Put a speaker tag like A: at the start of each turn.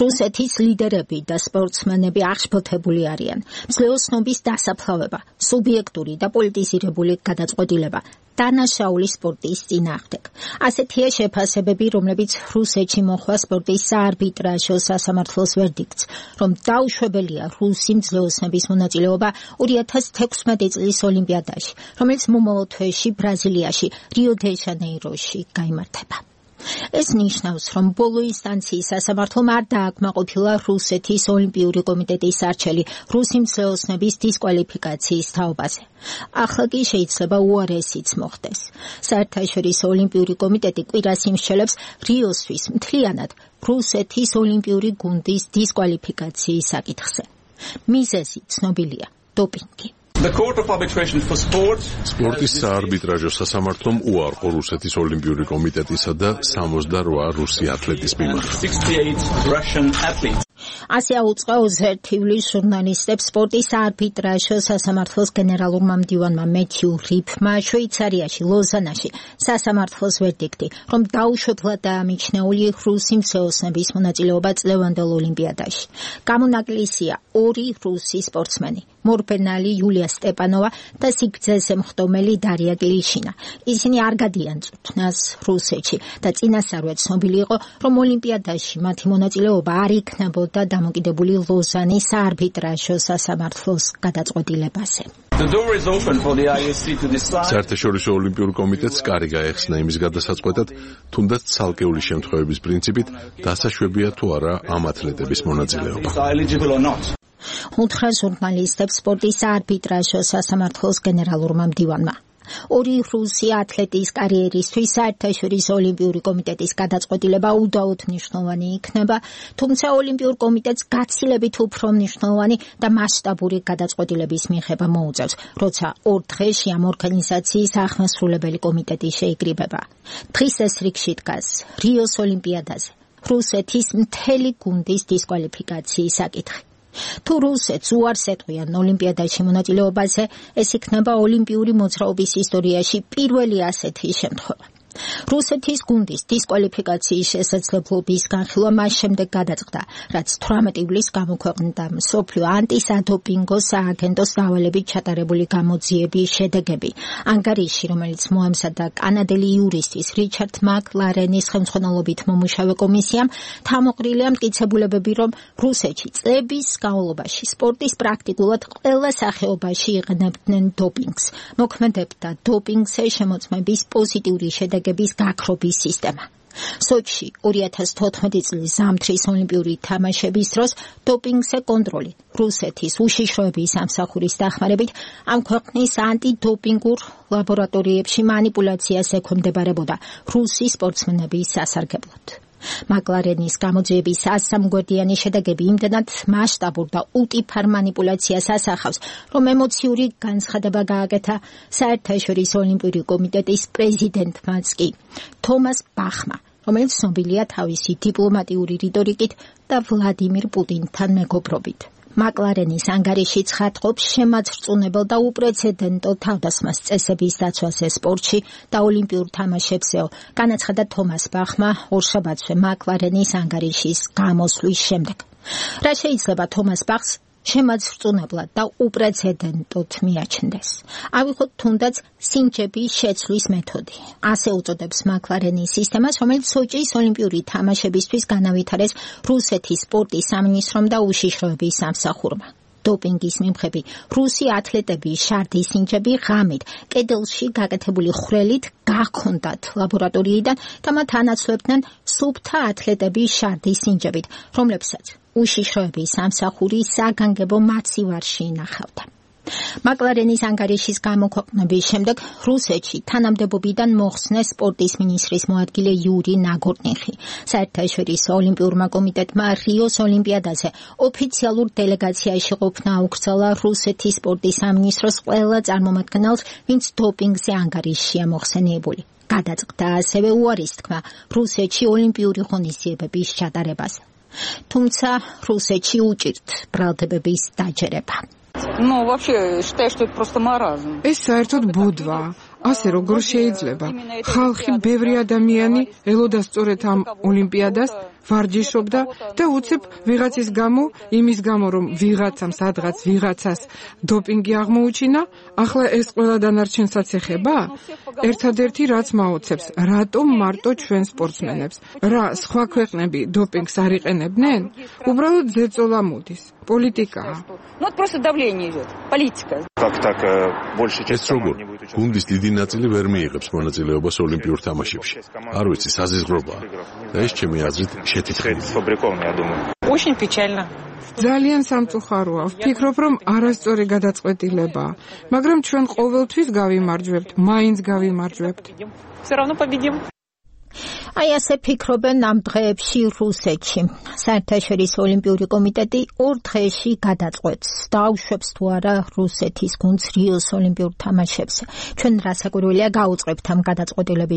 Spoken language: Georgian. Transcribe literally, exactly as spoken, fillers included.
A: რუსეთის ლიდერები და სპორტსმენები აღშფოთებული არიან. მსვლელოსნობის დასაფლავება, სუბიექტური და პოლიტიზირებული გადაწყვეტილება, დანაშაული სპორტის წინააღმდეგ. ასეთია შეფასებები, რომლებიც რუსეთში მოხდა სპორტის საარბიტრაჟო სასამართლოს ვერდიქტს, რომ დაუშვებელია რუსი მსვლელოსნების მონაწილეობა ორი ათას თექვსმეტი წლის ოლიმპიადაში, რომელიც მომავალ თვეში ბრაზილიაში, რიო-დე-ჟანეიროში გაიმართება. ეს ნიშნავს, რომ ბოლო ინსტანციის სასამართლომ არ დააკმაყოფილა რუსეთის ოლიმპიური კომიტეტის არჩევი რუსი მსვლელოსნების დისკვალიფიკაციის თაობაზე. ახლა კი შეიძლება უარესიც მოხდეს. საერთაშორისო ოლიმპიური კომიტეტი კვირას იმსჯელებს რიოსთვის მთლიანად რუსეთის ოლიმპიური გუნდის დისკვალიფიკაციის საკითხზე. მიზეზი ცნობილია: დოპინგი.
B: სპორტის საარბიტრაჟო სასამართლომ უარყო რუსეთის ოლიმპიური კომიტეტისა და სამოცდაოთხ რუსი ათლეტის მიმართ.
A: ასე აუწყოს ერთ ივლისს ჟურნალისტებს სპორტის საარბიტრაჟო სასამართლოს გენერალურმა მდივანმა მეთიუ რიფმა შვეიცარიაში, ლოზანაში სასამართლოს ვერდიქტი, რომ დაუშვებლად დაამიჩნეული რუსი მსვლელოსნების მონაწილეობა წლევანდელ ოლიმპიადაში. გამონაკლისია ორი რუსი სპორტსმენი: მორბენალი იულია სტეპანოვა და სიგრძეზე მხდომელი დარია გლიშირა. ისინი არ გადიან წვრთნას რუსეთში და წინასწარვე ცნობილი იყო, რომ ოლიმპიადაში მათი მონაწილეობა არ იქნებოდა დამოკიდებული ლოზანის საარბიტრაჟო სასამართლოს გადაწყვეტილებაზე.
B: საერთაშორისო ოლიმპიურ კომიტეტს კარი გაეხსნა იმის გადასაწყვეტად, თუნდაც ცალკეული შემთხვევების პრინციპით დასაშვებია თუ არა ამ ათლეტების მონაწილეობა.
A: უთხრა ჟურნალისტებს სპორტის საარბიტრაჟო სასამართლოს გენერალურმა მდივანმა. ორი რუსი ათლეტის კარიერისთვის საერთაშორისო ოლიმპიური კომიტეტის გადაწყვეტილება უდაოდ მნიშვნელოვანი იქნება, თუმცა ოლიმპიურ კომიტეტს გაცილებით უფრო მნიშვნელოვანი და მასშტაბური გადაწყვეტილების მიღება მოუწევს, როცა ორ დღეში ამ ორგანიზაციის აღმასრულებელი კომიტეტი შეიკრიბება. დღის ეს რიგში დგას რიოს ოლიმპიადაზე რუსეთის მთელი გუნდის დისკვალიფიკაციის საკითხი. თუ რუსეთს უარს ეტყვიან ოლიმპიადაში მონაწილეობაზე, ეს იქნება ოლიმპიური მოძრაობის ისტორიაში პირველი ასეთი შემთხვევა. რუსეთის გუნდის დისკვალიფიკაციის შესაძლებლობის განხილვა მას შემდეგ გადაწყდა, რაც თვრამეტი ივლისს გამოქვეყნდა მსოფლიო ანტისადოპინგო სააგენტოს დავალებით ჩატარებული გამოძიების შედეგები. ანგარიში, რომელიც მოამზადა კანადელი იურისტის რიჩარდ მაკლარენის ხელმძღვანელობით მომუშავე კომისიამ, თავმოყრილია მტკიცებულებები, რომ რუსეთში წლების განმავლობაში სპორტის პრაქტიკულად ყველა სახეობაში იყენებდნენ დოპინგს. მოქმედებდა დოპინგზე შემოწმების პოზიტიური შედეგები გაქრობის სისტემა. სოჩში ორი ათას თოთხმეტი წლის ზამთრის ოლიმპიური თამაშების დროს დოპინგზე კონტროლი რუსეთის უშიშროების სამსახურის დახმარებით ამ ქვეყნის ანტიდოპინგურ ლაბორატორიებში მანიპულაციას ექვემდებარებოდა რუსი სპორტსმენების სასარგებლოდ. მაკლარენის გამოძიების ასამგვერდიანი შედეგები იმდენად მასშტაბურ და უტიფარ მანიპულაციას ასახავს, რომ ემოციური განცხადება გააკეთა საერთაშორისო ოლიმპიური კომიტეტის პრეზიდენტმაც კი, თომას ბახმა, რომელიც ცნობილია თავისი დიპლომატიური რიტორიკით და ვლადიმირ პუტინთან მეგობრობით. მაკლარენის ანგარიში ცხადყოფს შემაძრწუნებელ და უპრეცედენტო თავდასხმას წესების დაცვაზე სპორტში და ოლიმპიურ თამაშებზეო, განაცხადა თომას ბახმა ორშაბათზე მაკლარენის ანგარიშის გამოსვლის შემდეგ. რა შეიძლება თომას ბახს შემაძრწუნებლად და უპრეცედენტოდ მიაჩნდეს? ავიღოთ თუნდაც სინჯების შეცვლის მეთოდი. ასე უწოდებს მაკლარენის სისტემას, რომელიც სოჭის ოლიმპიური თამაშებისთვის განავითარეს რუსეთის სპორტის სამინისტრომ და უშიშროების სამსახურმა. დოპინგის მიმღები რუსი ათლეტების შარდის სინჯები ღამით კედელში გაკეთებული ხვრელით გაქონდათ ლაბორატორიიდან და მათ ანაცვლებდნენ სუფთა ათლეტების შარდის სინჯებით, რომლებსაც უშიშროების სამსახური საგანგებო მაცივარში ინახავდა. მაკლარენის ანგარიშის გამოქვეყნების შემდეგ რუსეთში თანამდებობიდან მოხსნეს სპორტის მინისტრის მოადგილე იური ნაგორნიხი. საერთაშორისო ოლიმპიურმა კომიტეტმა რიოს ოლიმპიადაზე ოფიციალურ დელეგაციაში ყოფნა აუკრძალა რუსეთის სპორტის სამინისტროს ყველა წარმომადგენელს, ვინც დოპინგზე ანგარიშია მოხსენიებული. გადაწყდა ასევე უარის თქმა რუსეთში ოლიმპიური ღონისძიებების ჩატარებას. თუმცა რუსეთში უჭირთ ბრალდებების დაჯერება.
C: Ну, вообще, считаю, что это просто маразм.
D: ეს საერთოდ ბოდვა. ასე როგორ შეიძლება? ხალხი ბევრი ადამიანი ელოდა სწორედ ამ ოლიმპიადას ვარჯიშობდა და უცებ ვიღაცის გამო, იმის გამო რომ ვიღაცამ სადღაც ვიღაცას დოპინგი აღმოუჩინა, ახლა ეს ყველა დანარჩენსაც ეხება? ერთადერთი რაც მაოცებს, რატომ მარტო ჩვენ სპორტსმენებს? რა სხვა ქვეყნები დოპინგს არ იყენებდნენ? უბრალოდ ზეწოლა მოდის. პოლიტიკაა.
C: Ну, это просто давление идет. Политика.
E: Как так больше
B: ეს როგორ გუნდის დიდი ნაწილი ვერ მიიღებს მონაწილეობას ოლიმპიურ თამაშებში. არ ვიცი, საზიზღრობაა. და ეს ჩემი აზრით შეთითხელი.
E: сфабрикованный, я думаю.
F: Очень печально.
D: ძალიან სამწუხაროა. ვფიქრობ, რომ არასწორი გადაწყვეტილებაა, მაგრამ ჩვენ ყოველთვის გავიმარჯვებთ, მაინც გავიმარჯვებთ.
F: Все равно победим.
A: აი ასე ფიქრობენ ამ დღეებში რუსეთში. საერთაშორისო ოლიმპიური კომიტეტი ორ დღეში გადაწყვეტს, დაუშვებს თუ არა რუსეთის გუნდს რიოს ოლიმპიურ თამაშებს. ჩვენ რასაკვირველია გაუწყებთ ამ გადაწყვეტილების